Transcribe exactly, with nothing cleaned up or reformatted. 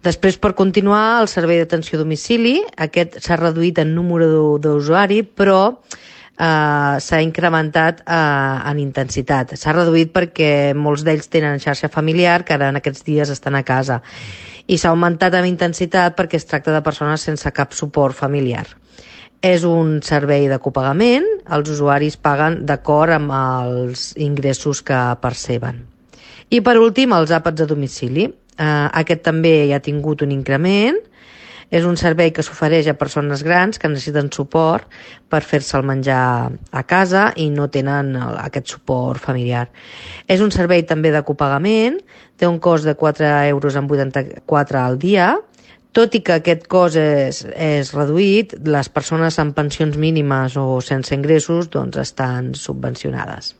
Després, per continuar, el servei d'atenció a domicili, aquest s'ha reduït en número d'usuari, però eh, s'ha incrementat eh, en intensitat. S'ha reduït perquè molts d'ells tenen xarxa familiar, que ara en aquests dies estan a casa, i s'ha augmentat en intensitat perquè es tracta de persones sense cap suport familiar. És un servei de copagament, els usuaris paguen d'acord amb els ingressos que perceben. I per últim, els àpats a domicili. Uh, aquest també ja ha tingut un increment. És un servei que s'ofereix a persones grans que necessiten suport per fer-se el menjar a casa i no tenen aquest suport familiar. És un servei també de copagament, té un cost de quatre euros amb vuitanta-quatre al dia. Tot i que aquest cost és, és reduït, les persones amb pensions mínimes o sense ingressos doncs, estan subvencionades.